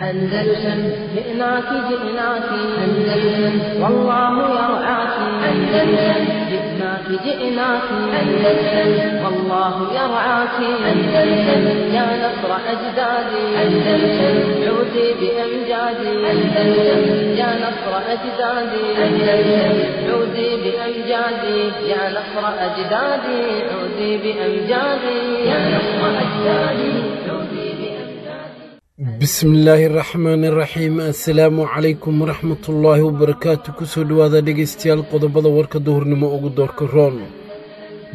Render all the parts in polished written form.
أندلسن جئناك جئناك أندلسن والله يرعاك. أندلسن جئناك جئناك أندلسن والله يرعاك. أندلسن يا نصر أجدادي. أندلسن عودي بأمجادي. أندلسن يا نصر أجدادي. أندلسن عودي بأمجادي يا نصر أجدادي. عودي بأمجادي يا نصر أجدادي. عودي. Bismillaahi raxmaani raxiim. Assalaamu calaykum waraxmatullaahi wabarakaatu. Kusoo dhowaada dhegaystayaal qodobada warka duhurnimo ugu doorka roon.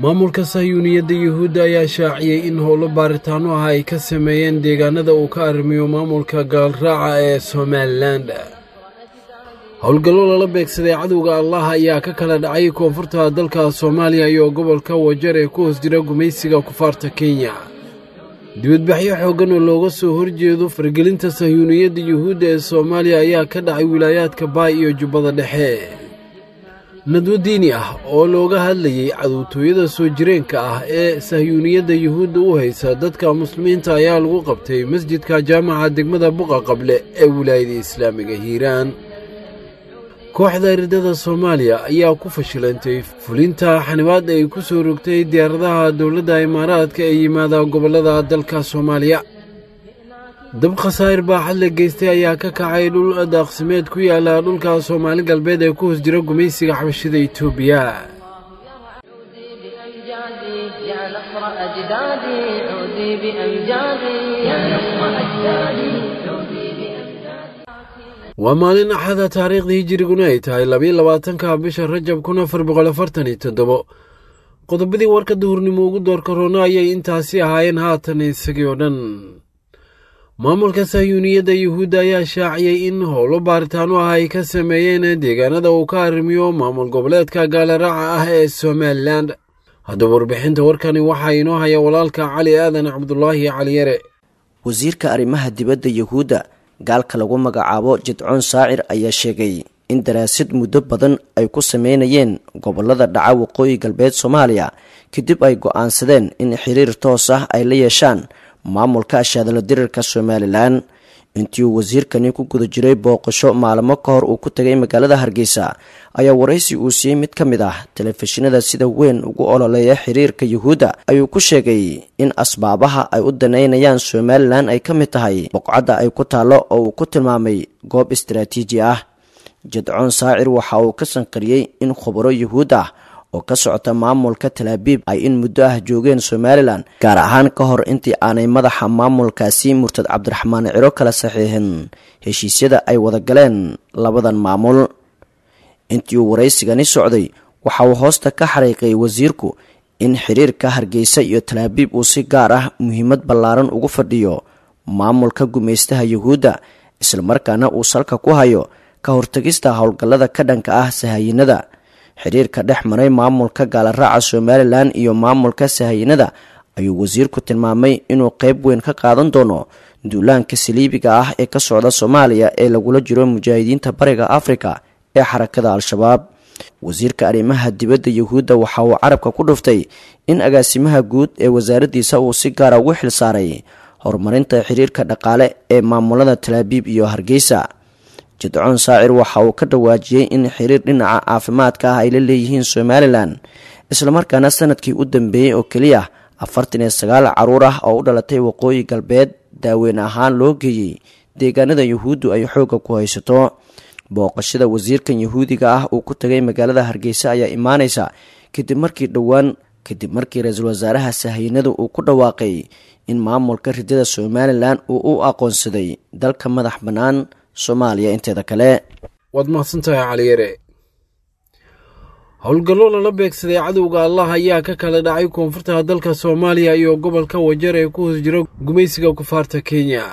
Maamulka sahyuuniyadda Yuhuudda ayaa shaaciyey in howlo baaritaano ah ay ka sameeyeen deegaanada uu ka arrimiyo maamulka gaalraaca ee Somalilan. Howlgallo lala beegsaday cadowga Allah ayaa ka kala dhacay koonfurta dalka Soomaaliya iyo gobolka Wajar ee ku hoos jira gumaysiga kufaarta Kenya. Dibadbaxyo xooggan oo looga soo horjeedo fargelinta sahyuuniyadda Yuhuudda ee Soomaaliya ayaa ka dhacay wilaayaadka Baay iyo Jubbada Dhexe. Nadwo diini ah oo looga hadlayey cadowtooyada soo jireenka ah ee sahyuuniyadda Yuhuudda u haysa dadka muslimiinta ayaa lagu qabtay masjidka jaamaca degmada Buqa Qable ee wilaayada islaamiga Hiiraan. Kooxda riddada Soomaaliya ayaa ku fashilantay fulinta xanibaad ay ku soo rogtay diyaaradaha dowladda Imaaraadka ee yimaada gobollada dalka Soomaaliya. Dab khasaa'ir baaxad la geystay ayaa ka kacay dhul daaqsimeed ku yaala dhulka Soomaali Galbeed ee ku hoos jira gumaysiga xabashida Itoobiya. عودي بأمجادي يا نصر أجدادي. عودي بأمجادي يا نصر أجدادي. عودي بأمجادي. Waa maalin Axada, taariikhdii hijiriguna ay tahay 22-ka bisha Rajab 1447. Qodobadii warka duhurnimo ugu doorka roona ayay intaasi ahaayeen, haatan isagii oo dhan. Maamulka sahyuuniyadda Yuhuudda ayaa shaaciyey in howlo baaritaano ah ay ka sameeyeen deegaanada uu ka arrimiyo maamul goboleedka gaalaraaca ah ee Somalilan. Haddaba warbixinta warkani waxaa inoo haya walaalka Cali Aadan Cabdulaahi Caliyare. Wasiirka arrimaha dibadda Yuhuudda, gaalka lagu magacaabo Jidcoon Saacir, ayaa sheegay in daraasad muddo badan ay ku sameynayeen gobolada dhaca waqooyi galbeed Soomaaliya kadib ay go-aansadeen in xiriir toos ah ay la yeeshaan maamulka ashaadalo dirirka Somalilan. Intii uu wasiirkani ku guda jiray booqasho maalmo ka hor uu ku tegay magaalada Hargeysa, ayaa waraysi uu siiyey mid ka mid ah telefishinada sida weyn ugu ololeeya xiriirka Yuhuudda ayuu ku sheegay in asbaabaha ay u daneynayaan Somalilan ay ka mid tahay boqcadda ay ku taallo oo uu ku tilmaamay goob istaraatiiji ah. Jadcoon Saacir waxa uu ka sanqariyey in khubaro Yuhuud ah oo ka socota maamulka Talaabiib ay in muddo ah joogeen Somalilan, gaar ahaan ka hor intii aanay madaxa maamulkaasi murtad Cabdiraxmaan Ciro kala saxiixin heshiisyada ay wada galeen labadan maamul. Intii uu waraysigani socday waxa uu hoosta ka xariiqay wasiirku in xiriirka Hargeysa iyo Talaabiib uu si gaar ah muhiimad ballaaran ugu fadhiyo maamulka gumaystaha Yuhuudda, islamarkaana uu salka ku hayo ka hortagista howlgallada ka dhanka ah sahayinada. Xiriirka dhex maray maamulka gaalaraaca Somalilan iyo maamulka sahayinada ayuu wasiirku tilmaamay inuu qeyb weyn ka qaadan doono duulaanka saliibiga ah ee ka socda Soomaaliya ee lagula jiro mujaahidiinta Bariga Afrika ee xarakada Al-Shabaab. Wasiirka arrimaha dibadda Yuhuudda waxa uu carabka ku dhuftay in agaasimaha guud ee wasaaraddiisa uu si gaara ugu xil saaray horumarinta xiriirka dhaqaale ee maamulada Talaabiib iyo Hargeysa. Jadcoon Saacir waxa uu ka dhawaajiyey in xiriir dhinaca caafimaadka ah ay la leeyihiin Somalilan, islamarkaana sanadkii u dambeeyey oo keliya 49 caruur ah oo u dhalatay waqooyi galbeed daaweyn ahaan loo geeyey deegaanada Yuhuuddu ay xoogga ku haysato. Booqashada wasiirkan Yuhuudiga ah uu ku tagay magaalada Hargeysa ayaa imaaneysa kadib markii dhowaan kadib markii ra-iisul wasaaraha sahaynada uu ku dhawaaqay in maamulka ridada Somalilan uu u aqoonsaday dalka madax bannaan Soomaaliya inteeda kale. Waad mahadsantahay, Caliyare. Howlgallo lala beegsaday cadowga Allah ayaa ka kala dhacay koonfurta dalka Soomaaliya iyo gobolka Wajar ee ku hoos jira gumaysiga kufaarta Kenya.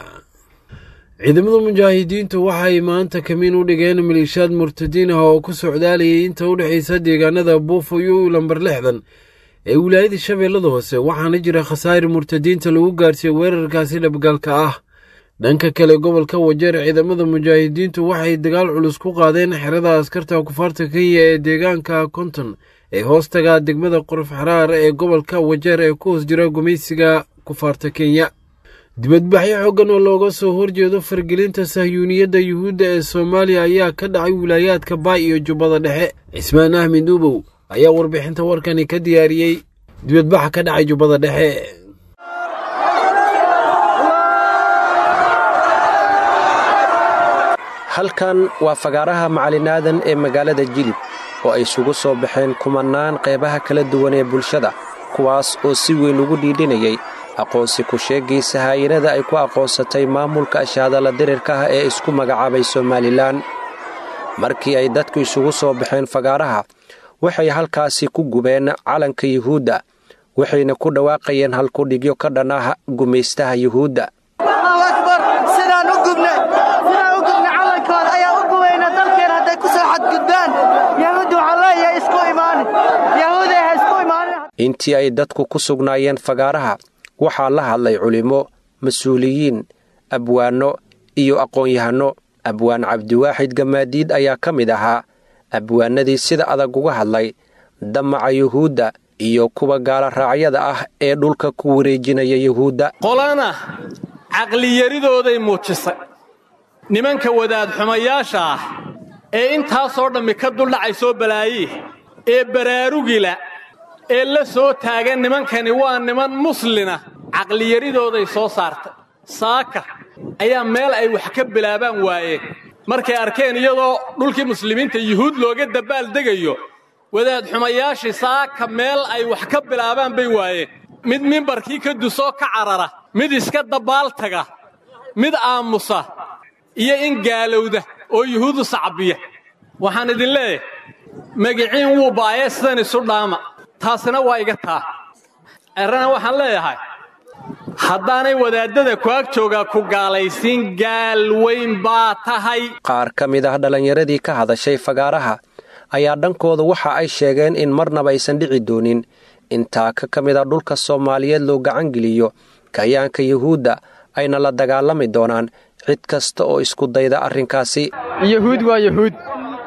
Ciidamada mujaahidiintu waxay maanta kamiin u dhigeen maleeshiyaad murtadiin ah oo ku socdaalayay inta u dhexaysa deegaanada Buufo iyo lambar 60 ee wilaayada Shabeellada Hoose, waxaana jira khasaa'ir murtadiinta lagu gaarsiiyey weerarkaasi dhabgaalka ah. Dhanka kale, gobolka Wajeer, ciidamada mujaahidiintu waxay dagaal culus ku qaadeen xerada askarta kufaarta Kenya ee deegaanka 50 ee hoostaga degmada Quruf Xaraar ee gobolka Wajeer ee ku hoos jira gumaysiga kufaarta Kenya. Dibadbaxyo xooggan oo looga soo horjeedo fargelinta sahyuuniyadda yuhuudda ee Soomaaliya ayaa ka dhacay wilaayaadka Baay iyo Jubbada Dhexe. Cismaan Ahmed Uubow ayaa warbixinta warkani ka diyaariyey dibadbaxa ka dhacay Jubbada Dhexe. Halkan waa fagaaraha Macalin Aadan ee magaalada Jilib oo ay isugu soo baxeen kumannaan qeybaha kala duwan ee bulshada, kuwaas oo si weyn ugu dhiidhinayay aqoonsi ku sheegiisa haayinada ay ku aqoonsatay maamulka ashaadala dirirka ah ee isku magacaabay Somalilan. Markii ay dadku isugu soo baxeen fagaaraha, waxay halkaasi ku gubeen calanka Yuhuudda, waxayna ku dhawaaqayeen halkudhigyo ka dhan ah gumaystaha Yuhuudda. Intii ay dadku ku sugnaayeen fagaaraha, waxaa la hadlay culimo, mas-uuliyiin, abwaanno iyo aqoon-yahanno. Abwaan Cabdiwaaxid Gamaadiid ayaa ka mid ahaa abwaanadii sida adag uga hadlay damaca Yuhuudda iyo kuwa gaala raacyada ah ee dhulka ku wareejinaya Yuhuudda. Qolana caqliyaridooday muujisay nimanka wadaad xumayaasha ah ee intaasoo dhammi ka duldhacaysoo balaayi ee baraarugila ee la soo taagan nimankani waa niman muslina, caqliyaridooday soo saartay. Saaka ayaa meel ay wax ka bilaabaan waayeen markay arkeen iyadoo dhulkii muslimiinta yuhuud looga dabaaldegayo. Wadaad xumayaashii saaka meel ay wax ka bilaabaan bay waayeen. Mid mimbarkii ka dusoo ka carara, mid iska dabaaltaga, mid aamusa iyo in gaalowda oo yuhuudu sacbiya. Waxaan idin leeyahay magiciin wuu baayee sidan isu dhaama, taasina waa iga taa. Errana waxaan leeyahay, haddaanay wadaaddada ku ag joogaa ku gaalaysiin, gaal weyn baa tahay. Qaar ka mid ah dhallinyaradii ka hadashay fagaaraha ayaa dhankooda waxa ay sheegeen in marnaba aysan dhici doonin in taaka ka mid a dhulka Soomaaliyeed loo gacangeliyo kayaanka Yuhuudda, ayna la dagaalami doonaan cid kasta oo isku dayda arrinkaasi. Yahuud waa yahuud,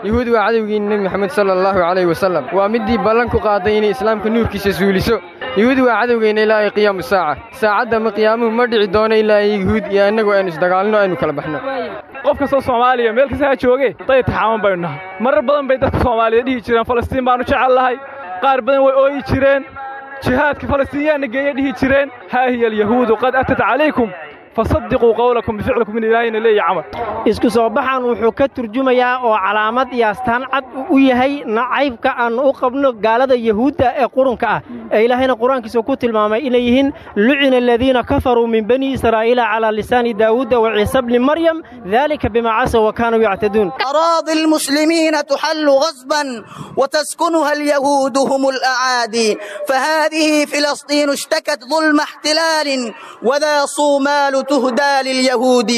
yuhuud waa cadowgii Nebi Maxamed sala allahu calayhi wasallam, waa middii ballan ku qaaday inay islaamka nuurkiisa suuliso. Yuhuud waa cadowgeenna ilaa ay qiyaamu saaca. Saacadda ma qiyaamuhu ma dhici doono ilaa ay yuhuud iyo annagu aynu isdagaalno, aynu kala baxno. Qof kastoo Soomaaliya meel kasta ha jooge, day taxaaman baynu nahay. Marar badan bay dadka Soomaaliya dhihi jireen Falastiin baannu jecel lahay, qaar badan way ooyi jireen, jihaadka Falastiinyaanna geeya dhihi jireen. Haa hiya alyahuudu qad atat calaykum fasadiquu qawlakum bificlikum, in ilaahayna leeya camal. Isku soo baxan wuxuu ka turjumayaa oo calaamad iyo astaan cad u yahay nacaybka aannu u qabno gaalada yahuudda ee qurunka ah ee Ilaahayna Qur-aankiisa ku tilmaamay inay yihiin lucina aladiina kafaruu min bani Israa'iila calaa lisaani Daawuuda wa Ciisa bni Maryam, dalika bimaa casaw wa kaanuu yactaduun. أراضي المسلمين تحل غصبا وتسكنها اليهود هم الأعادي، فهذه فلسطين اشتكت ظلم احتلال وذا صومال تهدى لليهود،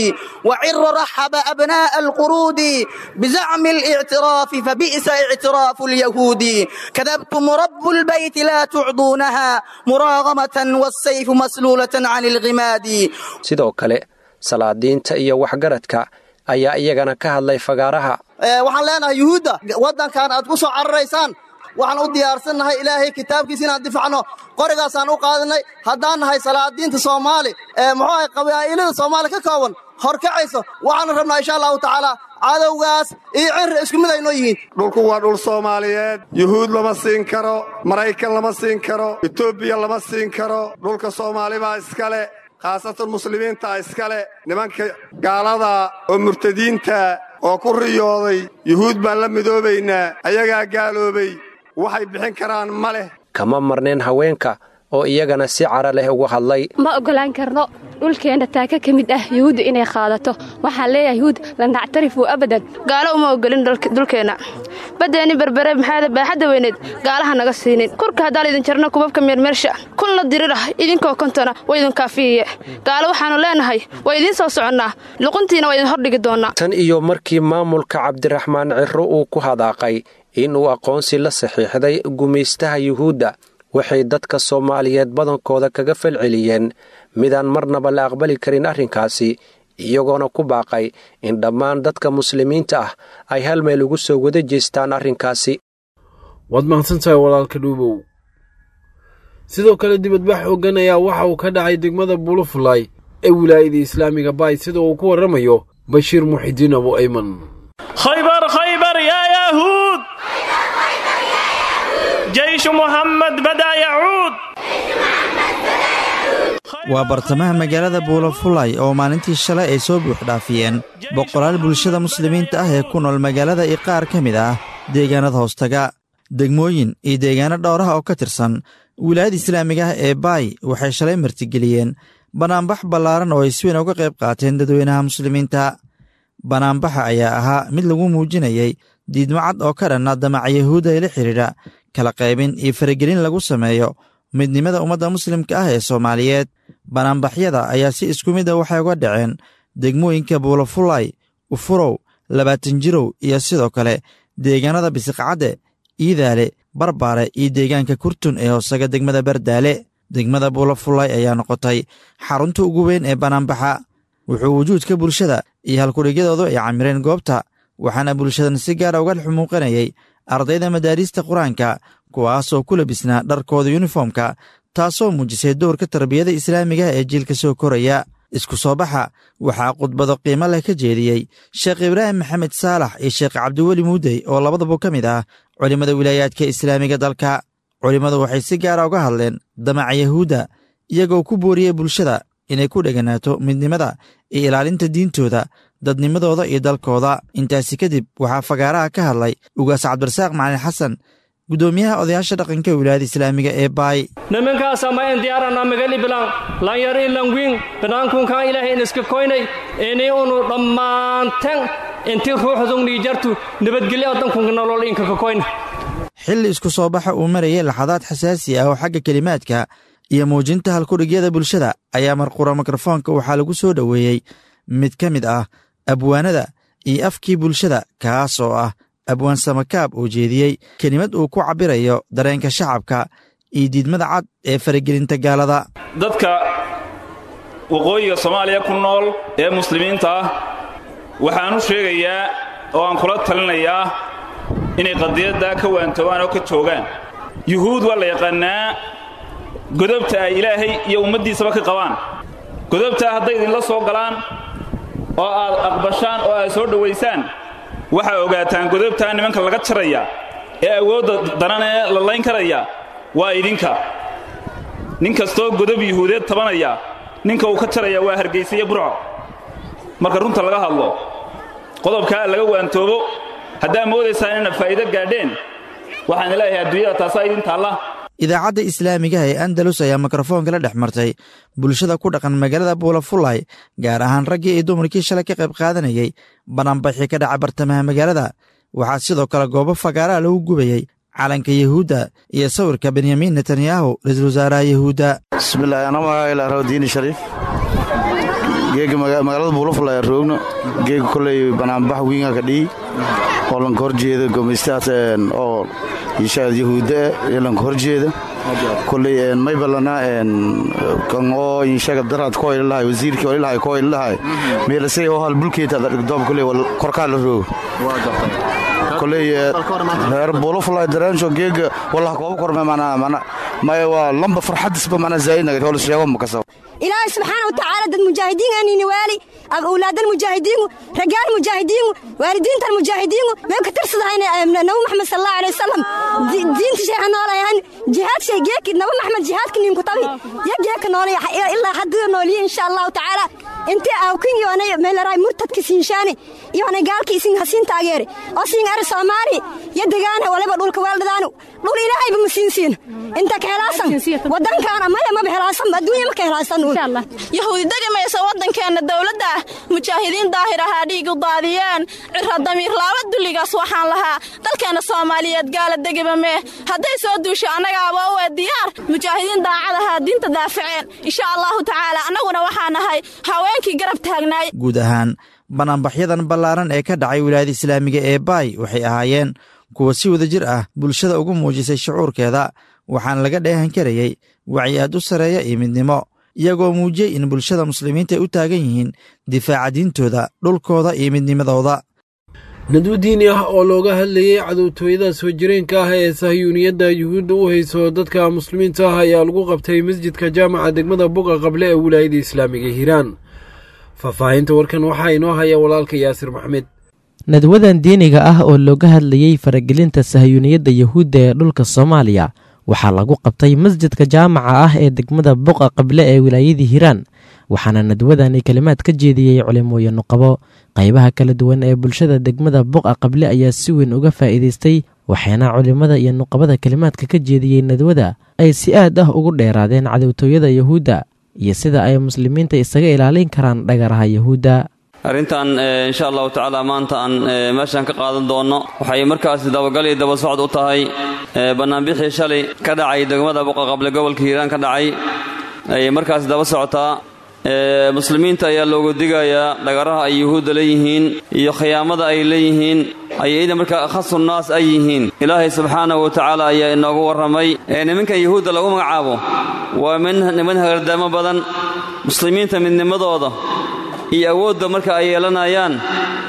وعر رحب أبناء القرود بزعم الاعتراف فبئس اعتراف اليهود. كذبتم رب البيت لا تعضونها مراغمة والسيف مسلولة عن الغماد. Sidoo kale salaadiinta iyo waxgaradka ayaa iyagana ka hadlay fagaaraha. Waxaan leenahay yuhuudda waddankan aad ku soo cararaysaan, waxaan u diyaarsannahay Ilaahay kitaabkiisa inaan difacno, qorigaasaan u qaadanay. Haddaan nahay salaadiinta Soomaali ee muxuu ahay qabaa'ilada Soomaali ka kooban horkacayso, waxaanu rabnaa insha allahu tacaala cadowgaas iyo cirri isku mid aynoo yihiin. Dhulku waa dhul Soomaaliyeed, yuhuud lama siin karo, Maraykan lama siin karo, Etoobiya lama siin karo. Dhulka Soomaali baa iskale, khaasatan muslimiinta iskale. Nimanka gaalada oo murtadiinta oo ku riyooday yuhuud baan la midoobaynaa, ayagaa gaaloobay, waxay bixin karaan ma leh. Kama marneen haweenka oo iyagana si cara leh uga hadlay. Ma oggolaan karno dhulkeenna taaka ka mid ah yuhuuddu inay qaadato. Waxaan leeyahay yuhuud lan nactarifu abadan. Gaalo uma ogolin dhulkeenna, baddeenni Berbere maxaada baaxadda weyneed gaalaha naga siinin. Kurka haddaan idin jarno kubabka meermeersha kunla dirirah idinkoo kontona waa idin kaafiyiye. Gaalo waxaannu leenahay waa idiin soo soconnaa, luquntiina waa idin hordhigi doonnaa. Tan iyo markii maamulka Cabdiraxmaan Cirro uu ku hadaaqay inuu aqoonsi la saxiixday gumaystaha Yuhuudda, waxay dadka Soomaaliyeed badankooda kaga falceliyeen midaan marnaba la aqbali karin arrinkaasi, iyagoona ku baaqay in dhammaan dadka muslimiinta ah ay hal meel ugu soo wada jeestaan arrinkaasi. Waad mahadsantahay walaalka Dhuubow. Sidoo kale dibadbax xooggan ayaa waxa uu ka dhacay degmada Bulufulay ee wilaayada islaamiga baay, sida uu ku warramayo Bashiir Muxidiin Abu Ayman. خيبر خيبر يا يهود، جيش محمد بدأ يعود. Waa bartamaha magaalada Buulafulay oo maalintii shalay ay soo buuxdhaafiyeen boqolaal bulshada muslimiinta ah ee ku nool magaalada iyo qaar ka mid ah deegaanada hoostaga. Degmooyin iyo deegaano dhowraha oo ka tirsan wilaayada islaamiga ah ee Baay waxay shalay martigeliyeen bannaanbax ballaaran oo ay si weyn uga qayb qaateen dadweynaha muslimiinta. Bannaanbaxa ayaa ahaa mid lagu muujinayay diidmo cad oo ka dhanna damaca Yahuudda ee la xidhiidha kala qaybin iyo faragelin lagu sameeyo midnimada ummadda muslimka ah ee Soomaaliyeed. Banaanbaxyada ayaa si isku mid ah waxay uga dhaceen degmooyinka Buulafulay, Ufurow, 20 Jirow iyo sidoo kale deegaanada Bisiqcadde, Iidaale, Barbaare iyo deegaanka Kurtun ee hoosaga degmada Bardaale. Degmada Buulafulay ayaa noqotay xarunta ugu weyn ee banaanbaxa. Wuxuu wujuudka bulshada iyo halkudhigyadoodu ay camireen goobta, waxaana bulshadan si gaara uga xumuuqanayay ardayda madaariista qur-aanka, kuwaasoo ku labisnaa dharkooda yuniformka, taasoo muujisay doorka tarbiyada islaamiga ee jiilka soo koraya. Isku soo baxa waxaa khudbado qiimo leh ka jeediyey Sheekh Ibraahim Maxamed Saalax iyo Sheekh Cabdiweli Muudey oo labadaba ka mid ah culimmada wilaayaadka islaamiga dalka. Culimmadu waxay si gaara uga hadleen damaca Yahuudda, iyagoo ku booriyey bulshada inay ku dheganaato midnimada iyo ilaalinta diintooda, dadnimadooda iyo dalkooda. Intaasi kadib waxaa fagaaraha ka hadlay Ugaas Cabdirasaaq Macalin Xasan, guddoomiyaha odayaasha dhaqanka wilaayada islaamiga ee Baay. Nimankaasa ma en diyaarana magali bilan lanyar i langwiin banaankunkan ilaahay in iska koynay inay unu dhammaanteen inti ruuxdun niijartu nabadgelyo addankunka nolol inka ka koyna. Xilli isku soo baxa uu marayay laxadaad xasaasi ah oo xagga kelimaadka iyo muujinta halkudhigyada bulshada ayaa marqura mikrofoonka waxaa lagu soo dhoweeyey mid ka mid ah abwaanada iyo afkii bulshada, kaas oo ah abwaan Samakaab oo jeediyey kelimad uu ku cabbirayo dareenka shacabka iyo diidmada cad ee faragelinta gaalada. Dadka waqooyiga Soomaaliya ku nool ee muslimiinta ah waxaan u sheegayaa oo aan kula talinayaa inay qadiyaddaa ka waantoobaan oo ka joogaan. Yuhuud waa la yaqaannaa godobta ay Ilaahay iyo ummaddiisaba ka qabaan. Godobtaa hadday idinla soo galaan oo aad aqbashaan oo aad soo dhowaysaan, waxaa ogaataan godobtaa nimanka laga jaraya ee awoodda daran ee la layn karaya waa idinka. Nin kastoo godob yuhuudeed tabanaya, ninka uu ka jaraya waa Hargaysa iyo Burco. Marka runta laga hadlo, qodobkaa laga waantoobo. Haddaa moodaysaan inaad faa'iido gaadheen, waxaan leeyahay adduunyada taasaa idin taalla. Idaacadda islaamigaha ee Andalus ayaa mikrofoonka la dhex martay bulshada ku dhaqan magaalada Buulafulay, gaar ahaan raggii iyo dumarkii shalay ka qayb qaadanayey banaanbaxii ka dhaca bartamaha magaalada. Waxaa sidoo kale goobo fagaaraha lagu gubayey calanka Yahuudda iyo sawirka Benyamin Netanyahu, ra-iisul wasaaraha Yahuudda. Bismillahi, anaa magaca ilaa Diini Shariif. Geega magaalada Buulafulay roogno. Geega koley banaanbax wiinga ka dhihi oo lanka horjeeda gumaystahaas oo inshaad yahuudda ee lanka horjeeda. Koley may balana kan oo inshaga daraad ko ilahay wasiirkii oo ilahay ko ilahay meelasay oo hal bulkeeta dhigdoob koley korkaa la roogo. Koley reer Buulafulay daraansho geega wallah kooba korme mana mana maya waa lamba farxadisba mana zaayid naga hol sheego ma kasoo. Ilaahay subxaana watacaala dad mujaahidiin aanini waali awlaad almujaahidiin, ragaal mujaahidiin, waalidiinta almujaahidiin may ka tirsadahayna Nabi Maxamed sal Allahu alayhi wasalam diinta sheexa noolayahan jihaad shay geeki Nabi Maxamed jihaadka nin ku tabi ya geeka noolaya ilaa haddii nooliye insha Allahu tacaala intii aawkin yoonay meelaray murtadka siinshaani yoonay gaalka isin hasiin taageere oo siin ar Soomaali ya degaana waliba dhulka waaldadaanu dhul Ilaahayba ma siin siin inta ka helaasan wadankaana maya maba helaasan adduunya ma ka helaasan. Yahuudi degamaysa waddankeenna dowladda ah, mujaahidiin daahir ahaa dhiig u daadiyeen cira damiir laaba dulligaas. Waxaan lahaa dalkeenna Soomaaliyeed gaala degiba mee, hadday soo duusho annagaaba u ee diyaar. Mujaahidiin daacad ahaa diinta daafaceen insha Allahu tacaala, annaguna waxaa nahay haweenkii garab taagnaay. Guud ahaan banaanbaxyadan ballaaran ee ka dhacay wilaayada islaamiga ee Baay waxay ahaayeen kuwa si wadajir ah bulshada ugu muujisay shucuurkeeda, waxaana laga dheehan karayey wacyi aad u sarreeya iyo midnimo, iyagoo muujiyey in bulshada muslimiinta ay u taagan yihiin difaaca diintooda, dhulkooda iyo midnimadooda. Nadwo diini ah oo looga hadlayay cadowtooyada soo jireenka ah ee sahyuuniyadda Yuhuudda u hayso dadka muslimiinta ah ayaa lagu qabtay masjidka jaamaca degmada Boga Qable ee wilaayada islaamiga Hiiraan. Faahfaahinta warkan waxaa inoo haya walaalka Yaasir Maxmed. Nadwadan diiniga ah oo looga hadlayey faragelinta sahyuuniyadda Yuhuudda ee dhulka Soomaaliya waxaa lagu qabtay masjidka jaamaca ah ee degmada Boqa Qable ee wilaayada Hiiraan, waxaana nadwadani kalimaad ka jeediyey culimooyin nuqabo. Qaybaha kala duwan ee bulshada degmada Boqa Qable ayaa si weyn uga faa'iidaystay, waxaana culimada iyo nuqabada kalimaadka ka jeediyey nadwada ay si aad ah ugu dheeraadeen cadowtooyada Yuhuudda iyo sida ay muslimiinta isaga ilaalin karaan dhagaraha Yuhuudda. Arrintan, insha Allahu tacaala, maanta aan meeshaan ka qaadan doonno waxay markaasi dabagal iyo daba socod u tahay bannaanbixii shalay ka dhacay degmada Buqa Qable, gobolka Hiiraan ka dhacay ayay markaasi daba socotaa. Muslimiinta ayaa loogu digayaa dhagaraha ay Yuhuudda leeyihiin iyo khiyaamada ay leeyihiin, ay ida markaa akhasu naas ay yihiin. Ilaahay subxaanahu wa tacaala ayaa inoogu warramay nimankan Yuhuudda lagu magacaabo waa niman hagardaamo badan. Muslimiinta midnimadooda iyo awoodda marka ay yeelanayaan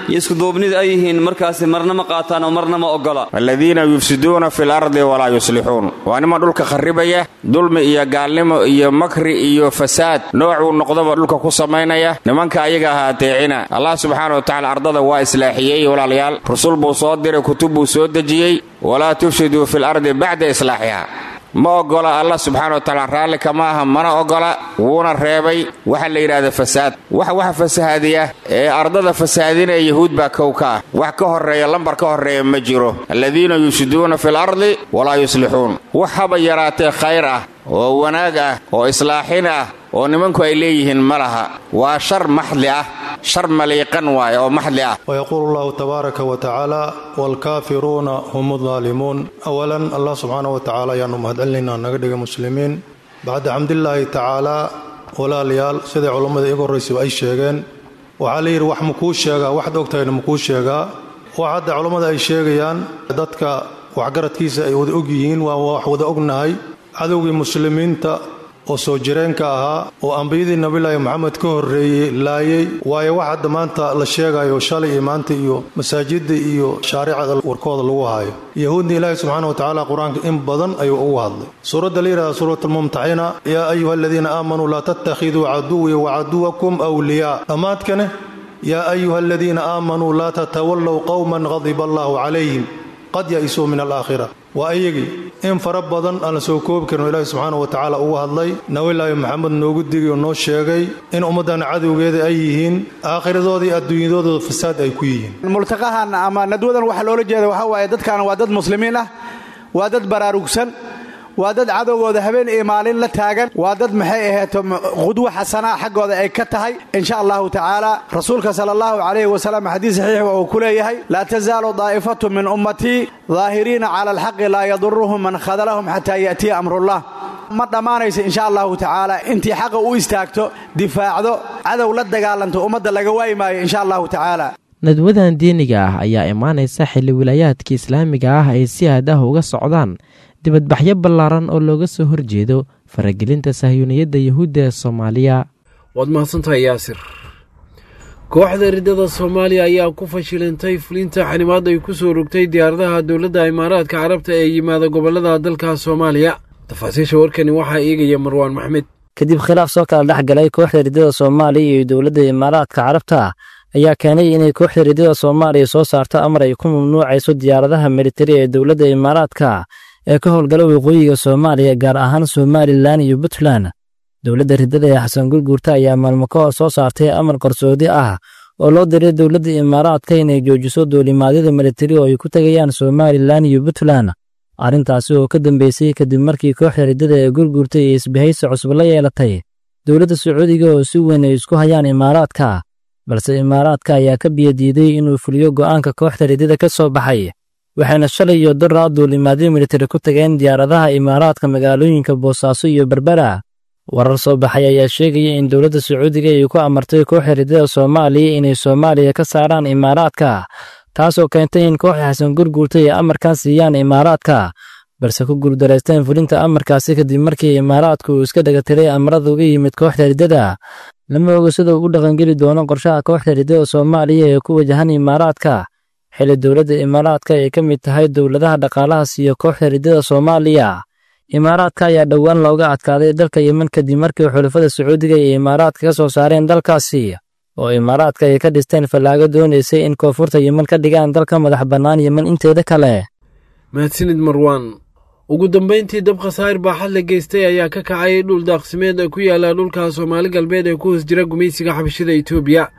iyo iskuduubnida ay yihiin markaasi marna ma qaataan oo marna ma oggola. Aladiina yufsiduuna fi lardi walaa yuslixuun, waa niman dhulka kharribaya, dulmi iyo gaalnimo iyo makri iyo fasaad noocuu noqdaba dhulka ku samaynaya. Nimanka ayaga ahaa ateecina. Allah subxaana wa tacala ardada waa islaaxiyey, walaalayaal. Rusul buu soo diray, kutub buu soo dejiyey. Walaa tufsiduu fi lardi bacda islaaxiha, ma oggola. Allah subxaana wa tacaala raalli kama aha, mana oggola, wuuna reebay waxa la yidhahda fasaad. Wax waxa fasahaadiya ee ardada fasahaadinaya Yahuud baa kow ka ah. Wax ka horreeya, lambar ka horreeya ma jiro. Aladiina yufsiduuna fi lardi walaa yuslixuun, wax haba yaraatee khayr ah oo wanaag ah oo islaaxin ah oo nimanku ay leeyihiin ma laha. Waa shar maxdi ah, shar maliiqan waaye oo maxdi ah. ويقول الله تبارك وتعالى: والكافرون هم الظالمون. أولا، الله سبحانه وتعالى ayaanu mahadcelinaynaa naga dhiga muslimiin. Bacda xamdilaahi tacaala, walaalayaal, siday culammada iga horraysaba ay sheegeen, waxaa la yidhi: wax makuu sheegaa waxaad ogtahayna makuu sheegaa. Wax hadda culammada ay sheegayaan dadka waxgaradkiisa ay wada og yihiin, waa wax wada ognahay. Cadowgii muslimiinta oo soo jireenka ahaa oo ambiyadii Nabilaahi Moxamed ka horreeyey laayay waayo. Wax hadda maanta la sheegayo shalay iyo maanta iyo masaajidda iyo shaaricada warkooda lagu haayo, Yahuudna Ilaahi subxaana wa tacaala Qur-aanka in badan ayuu ugu hadlay. Suuradda la yidhahda Suurat Almumtaxina: yaa ayuha aladiina aamanuu laa tattakhiduu caduwii wa caduwakum wliyaa. Dhammaadkane: yaa ayuha aladiina aamanuu laa tatawallow qowman qadiba allahu calayhim qad ya'isuu min alaakhira. Waa iyagii in fara badan aan la soo koobi karin oo Ilaahi subxaana wa tacaala ugu hadlay, Nabilaahi Maxamed noogu digay oo noo sheegay in ummaddan cadowgeeda ay yihiin, aakhiradooda iyo adduunyadooda fasaad ay ku yihiin. Multaqahan ama nadwadan waxaa loola jeeda waxaa waaye dadkan waa dad muslimiin ah, waa dad baraarugsan, waa dad cadowgooda habeen iyo maalin la taagan, waa dad maxay aheeto qudwo xasanaa xaggooda ay ka tahay, insha Allahu tacaala. Rasuulka sala Allahu calayhi wasalam xadiis saxiix uu ku leeyahay: laa tasaalu daa'ifatu min ummatii daahiriina cala alxaqi laa yaduruhum man khadalahum xataa ya'tiya amrullah. Ma dhammaanayso, insha Allahu tacaala, intii xaqa u istaagto, difaacdo, cadow la dagaalanto, ummadda laga waayi maayo, insha Allahu tacaala. Nadwadan diiniga ah ayaa imaanaysa xilli wilaayaadka islaamiga ah ay si aad ah uga socdaan dibadbaxyo ballaaran oo looga soo horjeedo faragelinta sahyuuniyadda Yuhuudda ee Soomaaliya. Waad mahadsantahay, Yaasir. Kooxda riddada Soomaaliya ayaa ku fashilantay fulinta xanimaad ay ku soo rogtay diyaaradaha dowladda Imaaraadka Carabta ee yimaada gobollada dalka Soomaaliya. Tafaasiisha warkani waxaa eegaya Marwaan Maxmed. Kadib khilaaf soo kala dhex galay kooxda riddada Soomaaliya iyo dowladda Imaaraadka Carabta ayaa keenay inay kooxda riddada Soomaaliya soo saarto amar ay ku mamnuucayso diyaaradaha militari ee dowladda Imaaraadka ee ka howlgala waqooyiga Soomaaliya, gaar ahaan Somalilan iyo Puntland. Dowladda riddada ee Xasan Gurguurta ayaa maalmo ka hor soo saartay amar qarsoodi ah oo loo diray dowladda Imaaraadka inay joojiso duulimaadyada militari oo ay ku tegayaan Somalilan iyo Puntland. Arrintaasi oo ka dambeysay kadib markii kooxda riddada ee Gurguurta iyo isbahaysi cusub la yeelatay dowladda Sacuudiga oo si weyn ay isku hayaan Imaaraadka. Balse Imaaraadka ayaa ka biyadiiday inuu fuliyo go'aanka kooxda riddada ka soo baxay, waxayna shalay iyo daraa duulimaadyo militari ku tageen diyaaradaha Imaaraadka magaalooyinka Boosaaso iyo Berbera. Warar soo baxay ayaa sheegaya in dowladda Sacuudiga ay ku amartay kooxda riddada Soomaaliya inay Soomaaliya ka saaraan Imaaraadka, taasoo keentay in kooxda Xasan Gurguurta ay amarkan siiyaan Imaaraadka, balse ku guuldareysteen fulinta amarkaasi kadib markii Imaaraadku uu iska dhagatiray amarada uga yimid kooxda riddada. Lama oga sida uu u dhaqangeli doono qorshaha kooxda riddada Soomaaliya ee ku wajahan Imaaraadka, Xilli dowladda Imaaraadka ay ka mid tahay dowladaha dhaqaalaha siiya kooxda riddada Soomaaliya. Imaaraadka ayaa dhowaan looga adkaaday dalka Yemen kadib markii xulafada Sacuudiga iyo Imaaraadka ka soo saareen dalkaasi, oo Imaaraadka ay ka dhisteen fallaago doonaysay in koonfurta Yemen ka dhigaan dalka madax bannaan Yemen inteeda kale. Mahadsanid Marwaan. Ugu dambayntii, dab khasaar baaxad la geystay ayaa ka kacay dhul daaqsimeed ee ku yaala dhulka Soomaali Galbeed ee ku hoos jira gumaysiga xabashida Itoobiya.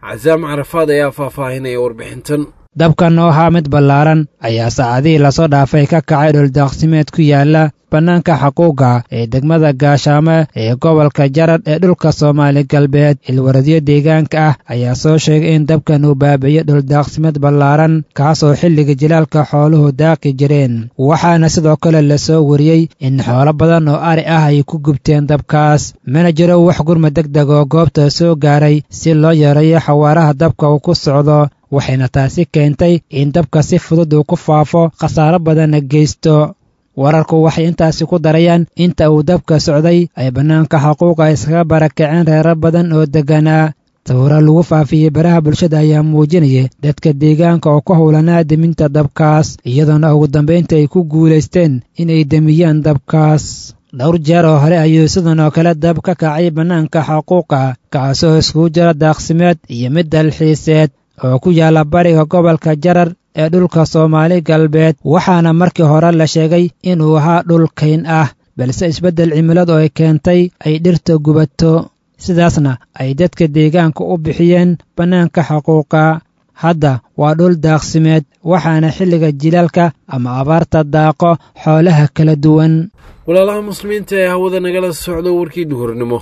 Casaam Carafaad ayaa faahfaahinaya warbixintan. Dabkan oo ahaa mid ballaaran ayaa saacadihii lasoo dhaafay ka kacay dhuldaaqsimeed ku yaala bannaanka Xaquuga ee degmada Gaashaamo ee gobolka Jarar ee dhulka Soomaali Galbeed. Ilwaradyo deegaanka ah ayaa soo sheegay in dabkan uu baabi'iyey dhuldaaqsimeed ballaaran, kaasoo xilliga jilaalka xooluhu daaqi jireen. Waxaana sidoo kale lasoo wariyey in xoolo badan oo ari ah ay ku gubteen dabkaas. Mana jiro wax gurma deg deg oo goobta soo gaaray si loo yareeyo xawaaraha dabka uu ku socdo, waxayna taasi keentay in dabka si fudud uu ku faafo, khasaaro badanna geysto. Wararku waxay intaasi ku darayaan inta uu dabka socday ay bannaanka Xaquuqa iskaga barakaceen reerar badan oo degganaa. Sawiro lagu faafiyey baraha bulshada ayaa muujinaya dadka deegaanka oo ku howlanaa deminta dabkaas, iyadoona ugu dambaynta ay ku guulaysteen inay demiyaan dabkaas. Dhowr jeer oo hore ayuu sidan oo kale dab ka kacay bannaanka Xaquuqa, kaasoo iskugu jira daaqsimeed iyo mid dalxiiseed oo ku yaala bariga gobolka Jarar ee dhulka Soomaali Galbeed. Waxaana markii hore la sheegay inuu ahaa dhul kayn ah, balse isbeddel cimiladu ay keentay ay dhirta gubato, sidaasna ay dadka deegaanka u bixiyeen bannaanka Xaquuqa. Hadda waa dhul daaqsimeed, waxaana xilliga jilaalka ama abaarta daaqo xoolaha kala duwan. Walaalaha muslimiinta ee hawada nagala socdo, warkii duhurnimo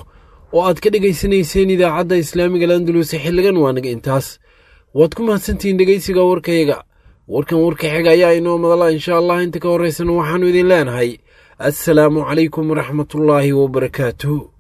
oo aad ka dhegaysanayseen idaacadda Islaamiga Landulus xilligan waa naga intaas. Waad ku mahadsantihiin dhegaysiga warkayaga. Warkan warka xiga ayaa inoo madala insha Allah. Inta ka horraysana waxaannu idin leenahay assalaamu calaykum waraxmatullaahi wabarakaatuh.